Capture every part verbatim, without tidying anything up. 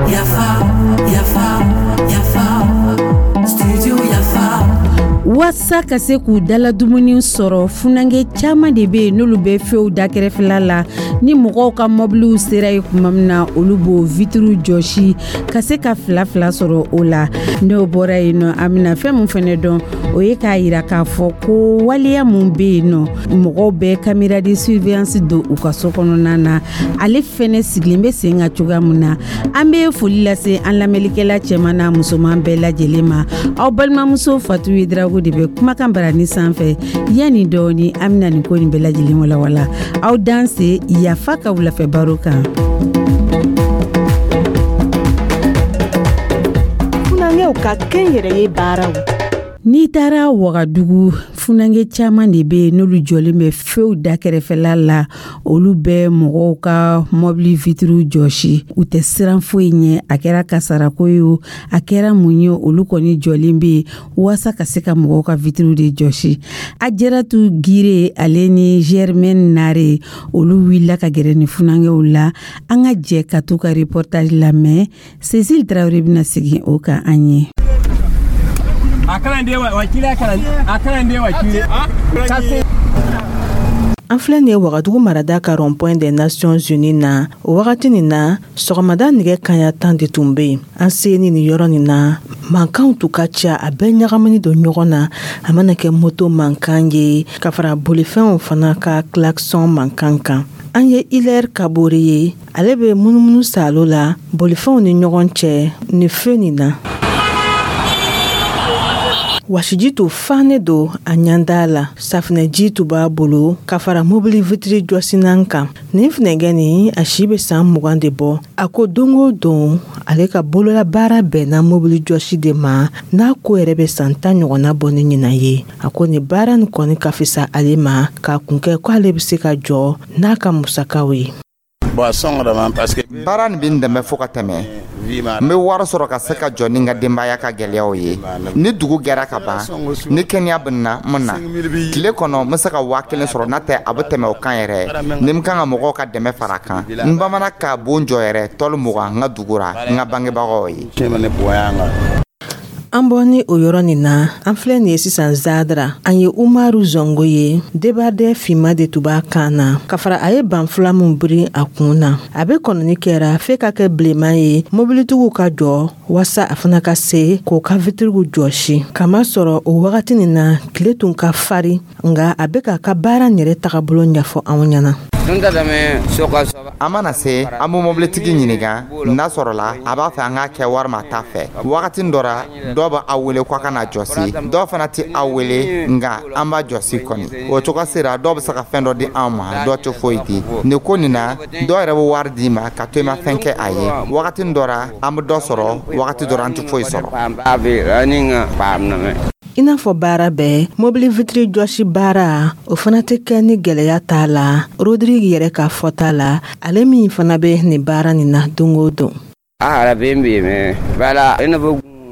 Yafa, yafa, yafa, studio Yafa. Waasa ka se k'u dala dumuni sɔrɔ, funankɛ caman de bɛ yen n'olu bɛ feuw da kɛrɛfɛla la. Ni mɔgɔw ka mɔbiliw sera yen tuma min na, olu b'o vitiriw jɔsi ka se ka fila fila sɔrɔ o la. N'o bɔra yen nɔ, an bɛna fɛn min fɛnɛ dɔn, o ye k'a yira k'a fɔ ko waleya mun bɛ yen nɔ, mɔgɔw bɛ caméra de surveillance don u ka so kɔnɔna na, ale fɛnɛ sigilen bɛ sen kan cogoya mun na. An bɛ foli lase an lamɛnlikɛla cɛman n'a musoman bɛɛ lajɛlen ma. Aw balimamuso Fatu Yedrago de bɛ kumakan barani sanfɛ. Yanni dɔɔni, an bɛna nin ko nin bɛɛ lajɛlen walawala. Aw danse Yafa ka wulafɛ baro kan. Funankɛw ka kɛnyɛrɛye baaraw. N'i taara Wagadugu, funankɛ caman de bɛ yen n'olu jɔlen bɛ feuw da kɛrɛfɛla la. Olu bɛ mɔgɔw ka mɔbili vitiriw jɔsi, u tɛ siran foyi ɲɛ. A kɛra kasarako ye o, a kɛra mun ye, olu kɔni jɔlen bɛ yen waasa ka se ka mɔgɔw ka vitiriw de jɔsi. Ajaratu Gire, ale ni Germaine Nare, olu wulila ka gɛrɛ ni funankɛw la. An ka jɛ ka t'u ka reportage lamɛn. Cécile Traoré bɛna segin o kan an ye. A kalan den wa kile a kalan a kalan den wa kile. An filɛ nin ye Wagadugu marada ka rond-point des Nations Unies na. O wagati nin na, sɔgɔmada nɛgɛ kaɲa tan de tun bɛ yen. An seni nin yɔrɔ nin na, mankanw tun ka ca, a bɛɛ ɲagamini don ɲɔgɔn na. A mana kɛ moto mankan ye ka fara bolifɛnw fana ka klaxon mankan kan. An ye Hilaire Kabore ye, ale bɛ munumunu salo la bolifɛnw ni ɲɔgɔn cɛ nin feu nin na. Wasiji tun fannen don a ɲanda la, safinɛji tun b'a bolo ka fara mobili vitiri jɔsinan kan. Nin funɛkɛ nin, a si bɛ san mugan de bɔ. A ko don o don, ale ka bololabaara bɛnna mobili jɔsi de ma, n'a ko yɛrɛ bɛ san tan ɲɔgɔnna bɔ ni ɲinan ye. A ko nin baara nin kɔni ka fisa ale ma, k'a kun kɛ ko ale bɛ se ka jɔ n'a ka musakaw ye. Baara nin bɛ n dɛmɛ fo ka tɛmɛ. N bɛ wari sɔrɔ ka se ka jɔ ni n ka denbaya ka gɛlɛyaw ye. Ni dugu gɛra ka ban, ni kɛnɛya bɛ n na, n bɛ na. Tile kɔnɔ, n bɛ se ka waa kelen sɔrɔ, n'a tɛ a bɛ tɛmɛ o kan yɛrɛ. Ni n kan ka mɔgɔw ka dɛmɛ fara a kan, n bamana ka bon jɔ yɛrɛ tɔli mugan n ka dugu ra n ka bangebagaw ye. An bɔ ni o yɔrɔ nin na, an filɛ nin ye sisan Zadara. An ye Umaru Zongo ye, débardeur finma de tun b'a kan na ka fara a ye banfula min biri a kun na. A bɛ kɔnɔni kɛra f'e ka kɛ bilenman ye mobilitigiw ka jɔ waasa a fana ka se k'o ka vitiriw jɔsi, kamasɔrɔ o wagati nin na, tile tun ka fari. Nka a bɛ k'a ka baara yɛrɛ tagabolo ɲɛfɔ anw ɲɛna. An mana se, an bɛ mobilitigi ɲininka n'a sɔrɔla a b'a fɛ an k'a kɛ walima a t'a fɛ. Wagati dɔ ra, dɔw bɛ aw wele k'a ka na jɔsi, dɔw fana tɛ aw wele, nka an b'a jɔsi kɔni. O cogo sera, dɔw bɛ se ka fɛn dɔ di anw ma, dɔw tɛ foyi di. Nin ko nin na, dɔw yɛrɛ bɛ wari d'i ma ka to i ma fɛn kɛ a ye. Wagati dɔ ra, an bɛ dɔ sɔrɔ, wagati dɔ ra, an tɛ foyi sɔrɔ. I n'a fɔ baara bɛɛ, mobili vitiri jɔsi baara, o fana tɛ kɛ ni gɛlɛya t'a la. Rodrigue yɛrɛ ka fɔta la, ale min fana bɛ nin baara nin na don o don.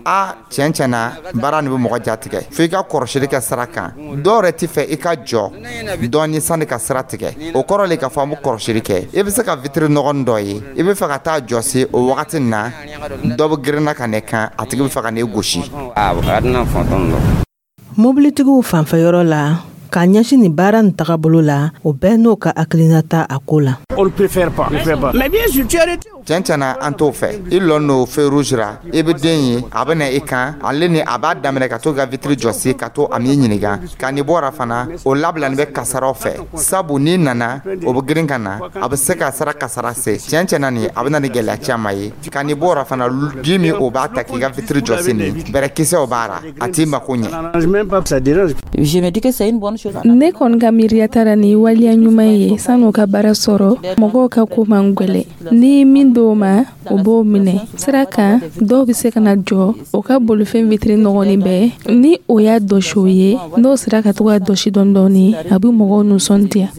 A tiɲɛ tiɲɛ na, baara nin bɛ mɔgɔ jatigɛ fo i ka kɔrɔsili kɛ sira kan. Dɔw yɛrɛ tɛ fɛ i ka jɔ dɔɔni sanni ka sira tigɛ. O kɔrɔ le k'a fɔ an bɛ kɔrɔsili kɛ. I bɛ se ka vitiri nɔgɔnin dɔ ye, i bɛ fɛ ka taa jɔsi, o wagati nin na, dɔ bɛ girinna ka n'e kan, a tigi bɛ fɛ ka n'e gosi. Mobilitigiw fanfɛyɔrɔ la, k'a ɲɛsin nin baara nin tagabolo la, o bɛɛ n'o ka hakilinata a ko la. Tiɲɛ tiɲɛ na, an t'o fɛ. I lɔ n'o feu rouge ra, i bɛ den ye, a bɛ na i kan, ale ni a b'a daminɛ ka to ka vitiri jɔsi, ka to a m'i ɲininka ka n'i bɔra fana. O labilani bɛ kasaraw fɛ, sabu n'i nana, o bɛ girin ka na, a bɛ se ka sara kasara se. Tiɲɛ tiɲɛ na, nin a bɛ na ni gɛlɛya caman ye. Ka n'i bɔra fana, ji min o b'a ta k'i ka vitiri jɔsi, nin bɛrɛkisɛw b'a ra, a t'i mako ɲɛ. Ne kɔni ka miiriya taara ni waleya ɲuman ye. San'u ka baara sɔrɔ, mɔgɔw ka ko man gwɛlɛ. Ni min min d'o ma, o b'o minɛ. Sira kan, dɔw bɛ se ka na jɔ o ka bolifɛn vitiri nɔgɔnin bɛɛ. Ni o y'a dɔsi o ye, n'o sera ka to ka dɔsi dɔɔni dɔɔni, a bɛ mɔgɔw nisɔndiya.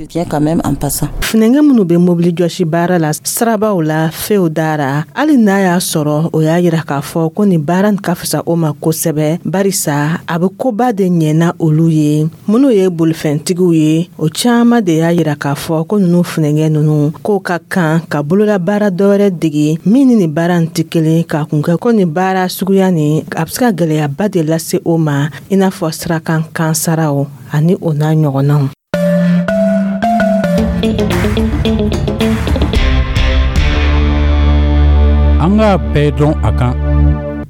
Funɛnkɛ minnu bɛ mobili jɔsi baara la sirabaw la, few dara, hali n'a y'a sɔrɔ o y'a yira k'a fɔ ko nin baara nin ka fisa o ma kosɛbɛ, barisa a bɛ koba de ɲɛna olu ye. Minnu ye bolifɛntigiw ye, o caman de y'a yira k'a fɔ ko ninnu funɛnkɛ ninnu k'o ka kan ka bololabaara dɔwɛrɛ dege min ni nin baara nin tɛ kelen, k'a kun kɛ ko nin baara suguya nin a bɛ se ka gɛlɛyaba de lase o ma, i n'a fɔ sirakan kansaraw ani o n'a ɲɔgɔnnaw. An k'a bɛɛ dɔn a kan.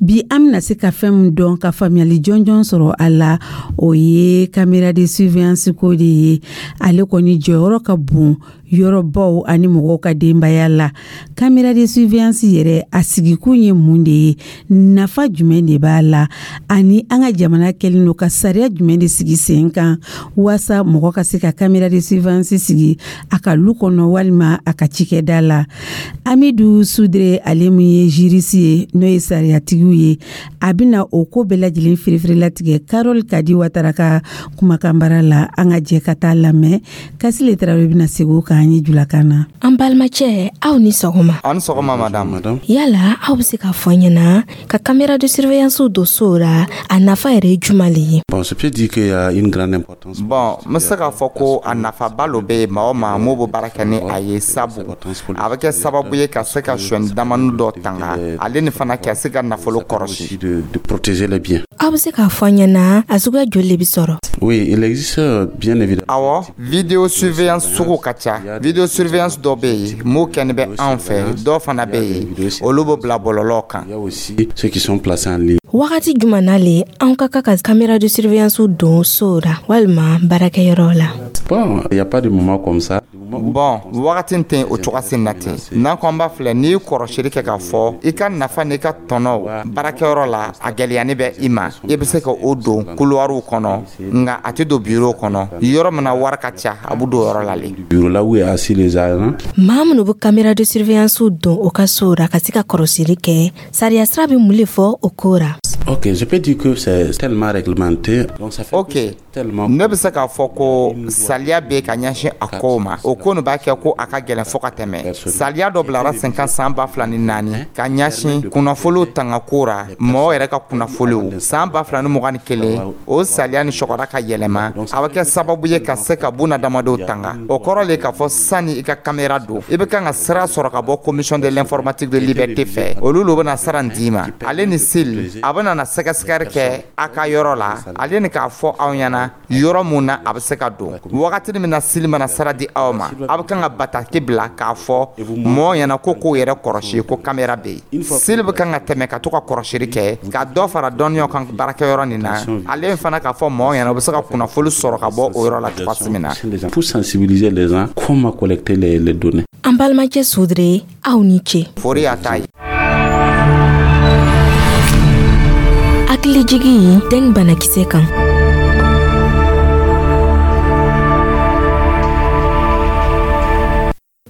Bi an bɛna se ka fɛn min dɔn ka faamuyali jɔnjɔn sɔrɔ a la, o ye caméra de surveillance ko de ye. Ale kɔni jɔyɔrɔ ka bon yɔrɔbaw ani mɔgɔw ka denbaya la. Caméra de surveillance yɛrɛ, a sigikun ye mun de ye, nafa jumɛn de b'a la, ani an ka jamana kɛlen don ka sariya jumɛn de sigi sen kan waasa mɔgɔ ka se ka caméra de surveillance sigi a ka lu kɔnɔ walima a ka cikɛda la. Amidu Sudre, ale min ye juriste ye, n'o ye sariyatigiw ye, a bɛna o ko bɛɛ lajɛlen firifirilatigɛ Karol Kadi Watara ka kumakanbara la. An ka jɛ ka taa lamɛn. Kasile Tarawele bɛna segin o kan an ye julakan na. An balimacɛ, aw ni sɔgɔma. Aw ni sɔgɔma madame. Yala aw bɛ se k'a fɔ an ɲɛna ka caméra de surveillance don so la, a nafa yɛrɛ ye jumɛn le ye? Bon, je peux dire qu'il y a une grande importance. Bon, n bɛ se k'a fɔ ko a nafaba lo bɛ yen maa o maa m'o bɛ baara kɛ ni a ye, sabu a bɛ kɛ sababu ye ka se ka sonyani damani dɔ tanga, ale ni fana ka se ka nafolo kɔrɔsi. De, de protéger les biens. Aw bɛ se k'a fɔ an ɲɛna a suguya joli de bɛ sɔrɔ? Oui, il existe bien évidemment. Awɔ, vidéo surveillance sugu ka ca. Vidéo surveillance dɔ bɛ yen m'o kɛni bɛ anw fɛ, dɔw fana bɛ yen olu bɛ bila bɔlɔlɔ kan. Il y a aussi ceux qui sont placés en ligne. Wagati jumɛn na le anw ka kan ka caméra de surveillance don so la walima baarakɛyɔrɔ la? Bon, il y a pas de moment comme ça. Bon, wagati tɛ o cogoya sen na ten. N'an ko an b'a filɛ, n'i ye kɔrɔsili kɛ k'a fɔ i ka nafa n'i ka tɔnɔ baarakɛyɔrɔ la, a gɛlɛyani bɛ i ma, i bɛ se ka o don couloirw kɔnɔ, nka a tɛ don bureau kɔnɔ. Yɔrɔ min na wari ka ca, a bɛ don yɔrɔ la le. Bureau là où est assis les agents. Maa minnu bɛ caméra de surveillance don o ka so la ka se ka kɔrɔsili kɛ, sariya sira bɛ mun de fɔ o ko la? Ok, je peux dire que c'est tellement réglementé. Donc ça fait Ok, ne bɛ se k'a fɔ ko saliya bɛ ka ɲɛsin a kow ma. O ko nin b'a kɛ ko a ka gɛlɛn fo ka tɛmɛ. Saliya dɔ bilara sen kan san ba fila ni naani ka ɲɛsin kunnafoniw tangako ra, mɔgɔw yɛrɛ ka kunnafoniw. San ba fila ni mugan ni kelen, o saliya ni sɔgɔra ka yɛlɛma, a bɛ kɛ sababu ye ka se ka bunadamadenw tanga. O kɔrɔ le k'a fɔ sani i ka caméra don, i bɛ kan ka sira sɔrɔ ka bɔ commission de l'informatique de liberté fɛ. Olu lo bɛna sara nin d'i ma. Ale ni C I L, a bɛna na sɛgɛsɛgɛli kɛ a ka yɔrɔ la, ale ni k'a fɔ aw ɲɛna yɔrɔ mun na a bɛ se ka don. Wagati min na C I L mana sara di aw ma, a bɛ kan ka bataki bila k'a fɔ mɔgɔw ɲɛna ko k'o yɛrɛ kɔrɔsi ko caméra bɛ yen. C I L bɛ kan ka tɛmɛ ka to ka kɔrɔsili kɛ ka dɔ fara dɔnniyaw kan baarakɛyɔrɔ nin na, ale fana k'a fɔ mɔgɔw ɲɛna u bɛ se ka kunnafoni sɔrɔ ka bɔ o yɔrɔ la cogoya min na. Pour sensibiliser les gens comment collecter les, les données. An balimacɛ Sudre, aw ni ce. Fori y'a ta ye. Hakilijigi dengue banakisɛ kan.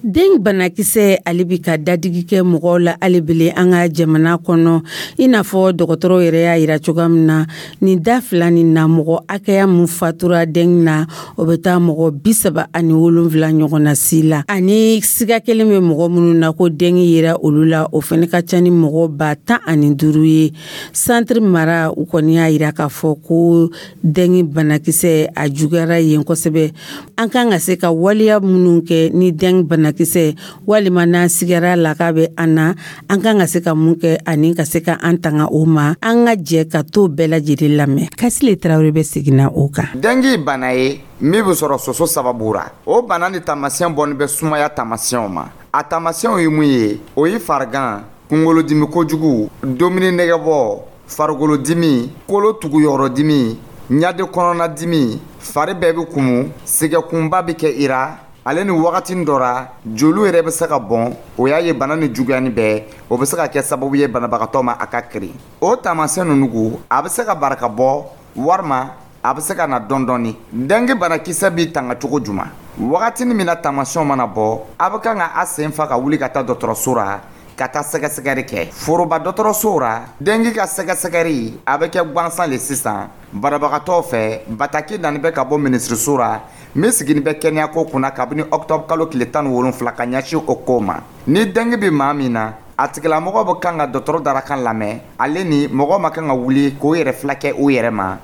Den banakisɛ ale bi ka dadigi kɛ mɔgɔw la alebele an ka jamana kɔnɔ, i n'a fɔ dɔgɔtɔrɔw yɛrɛ y'a yira cogoya min na, nin da fila nin na, mɔgɔ hakɛya mun fatura dengue na, o bɛ taa mɔgɔ bi saba ani wolonfila ɲɔgɔn na si la. Ani siga kelen bɛ mɔgɔ minnu na ko dengue yera olu la, o fana ka ca ni mɔgɔ ba tan ani duuru ye. Centre mara, u kɔni y'a yira k'a fɔ ko dengue banakisɛ a juguyara yen kosɛbɛ. An kan ka se ka waleya minnu kɛ ni dengue banakisɛ walima n'an sigara la k'a bɛ an na, an kan ka se ka mun kɛ ani ka se ka an tanga o ma, an ka jɛ ka t'o bɛɛ lajɛlen lamɛn. Kasile Tarawele bɛ seginna o kan. Dengue bana ye min bɛ sɔrɔ soso sababu ra. O bana ni taamasiyɛn bɔnni bɛ sumaya taamasiyɛnw ma. A taamasiyɛnw ye mun ye? O ye farigan, kunkolodimi kojugu, dumuni nɛgɛbɔ, farikolodimi, kolo tuguyɔrɔdimi, ɲade kɔnɔnadimi, fari bɛɛ bɛ kumu, sɛgɛkunba bɛ kɛ i ra, ale ni wagati dɔ ra joliw yɛrɛ bɛ se ka bɔn. O y'a ye bana ni juguyani bɛɛ, o bɛ se ka kɛ sababu ye banabagatɔ ma a ka kirin. O taamasiyɛn ninnu ko a bɛ se ka barika bɔ walima a bɛ se ka na dɔɔni dɔɔni. Dengue banakisɛ b'i tanga cogo jumɛn? Wagati min na taamasiyɛnw mana bɔ, a bɛ kan ka a sen fa ka wuli ka taa dɔgɔtɔrɔso ra Ka taa sɛgɛsɛgɛri kɛ foroba dɔgɔtɔrɔsow ra, dengue ka sɛgɛsɛgɛri a bɛ kɛ gansan le sisan banabagatɔw fɛ. Bataki nani bɛ ka bɔ minisiriso ra min sigini bɛ kɛnɛyako kunna kabini octobre kalo tile tan ni wolonfila ka ɲɛsin o ko ma. Ni dengue bɛ maa min na, a tigilamɔgɔ bɛ kan ka dɔgɔtɔrɔ darakan lamɛn. Ale ni mɔgɔ ma kan ka wuli k'o yɛrɛ fila kɛ u yɛrɛ ma,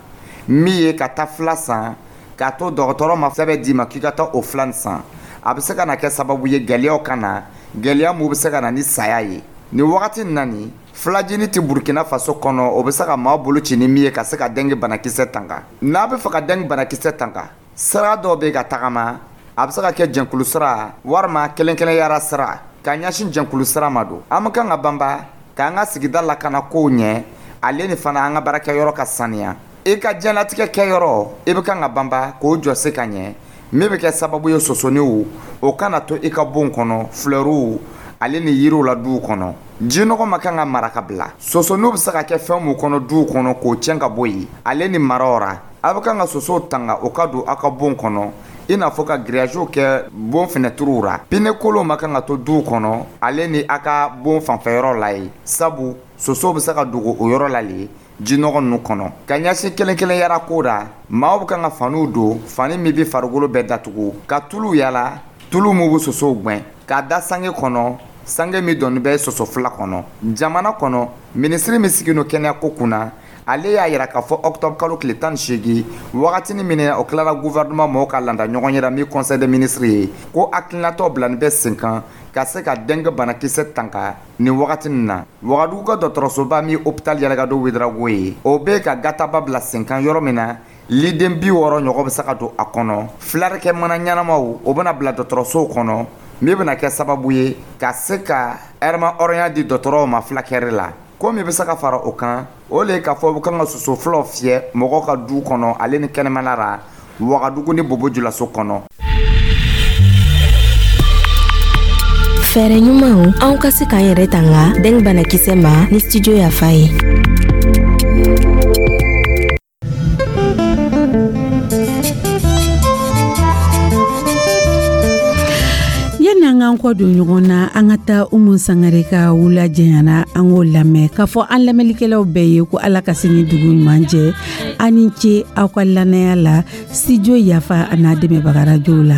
min ye ka taa fila san k'a to dɔgɔtɔrɔ ma sɛbɛn d'i ma k'i ka taa o fila nin san, a bɛ se ka na kɛ sababu ye gɛlɛyaw ka na, gɛlɛya mun bɛ se ka na ni saya ye. Nin wagati nin na, nin filajini tɛ Burukina Faso kɔnɔ, o bɛ se ka maa bolo ci ni min ye ka se ka dengue banakisɛ tanga. N'a bɛ fɛ ka dengue banakisɛ tanga, sira dɔw bɛ ka tagama, a bɛ se ka kɛ jɛnkulu sira walima kelen kelenyara sira. Ka ɲɛsin jɛnkulu sira ma don, an bɛ kan ka banba k'an ka sigida lakana kow ɲɛ, ale ni fana an ka baarakɛyɔrɔ ka saniya. I ka diɲɛlatigɛ kɛyɔrɔ, i bɛ kan ka banba k'o jɔsi ka ɲɛ, min bɛ kɛ sababu ye sosoniw o kana to i ka bon kɔnɔ, filɛriw ale ni yiriw la duw kɔnɔ. Jinɔgɔ ma kan ka mara ka bila. Sosoniw bɛ se ka kɛ fɛn mun kɔnɔ duw kɔnɔ, k'o tiɲɛ ka bɔ yen. Ale ni maraw ra, a bɛ kan ka sosow tanga o ka don aw ka bon kɔnɔ, i n'a fɔ ka grillage kɛ bon fenɛtiriw ra. Pneu kolonw ma kan ka to duw kɔnɔ, ale ni a ka bon fanfɛyɔrɔ la ye, sabu sosow bɛ se ka dogo o yɔrɔ la le jinɔgɔ ninnu kɔnɔ. Ka ɲɛsin kelen kelen yara ko ra, maaw bɛ kan ka faniw don, fani min bɛ farikolo bɛɛ datugu, ka tulu yala, tulu mun bɛ sosow gɛn, k'a da sange kɔnɔ, sange min dɔnni bɛ soso fila kɔnɔ. Jamana kɔnɔ, minisiri min sigilen kɛnɛyako kunna, ale y'a yira k'a fɔ octobre kalo tile tan ni seegin, wagatinin min o tilara gouvernement mɔgɔw ka landa ɲɔgɔn yɛrɛ min conseil des ministres ye, ko hakilinatɔ bilani bɛ sen kan ka se ka dengue banakisɛ tanga. Nin wagati nin na, Wagadugu ka dɔgɔtɔrɔsoba min hôpital Yalagado Ouédraogo ye, o bɛ ka gataba bila sen kan, yɔrɔ min na liden bi wɔɔrɔ ɲɔgɔn bɛ se ka don a kɔnɔ. Filarikɛ mana ɲɛnamaw, o bɛna bila dɔgɔtɔrɔsow kɔnɔ, min bɛna kɛ sababu ye ka se ka ɛrɛma hɔrɔnya di dɔgɔtɔrɔw ma fulakɛri la. Ko min bɛ se ka fara o kan, o le ye k'a fɔ u kan ka soso fulaw fiyɛ mɔgɔw ka du kɔnɔ, ale ni kɛnɛmana la, Wagadugu ni Bobo Julaso kɔnɔ. Fɛɛrɛ ɲumanw anw ka se k'an yɛrɛ tanga dengue banakisɛ ma ni Studio Yafa ye. Yanni an k'an kɔ don ɲɔgɔn na, an ka taa Umu Sangare ka wula jɛyana, an k'o lamɛn k'a fɔ an lamɛnlikɛlaw bɛɛ ye ko Ala ka sini dugu ɲuman jɛ. An ni ce aw ka lamɛnya la Studio Yafa a n'a dɛmɛbaga radio la.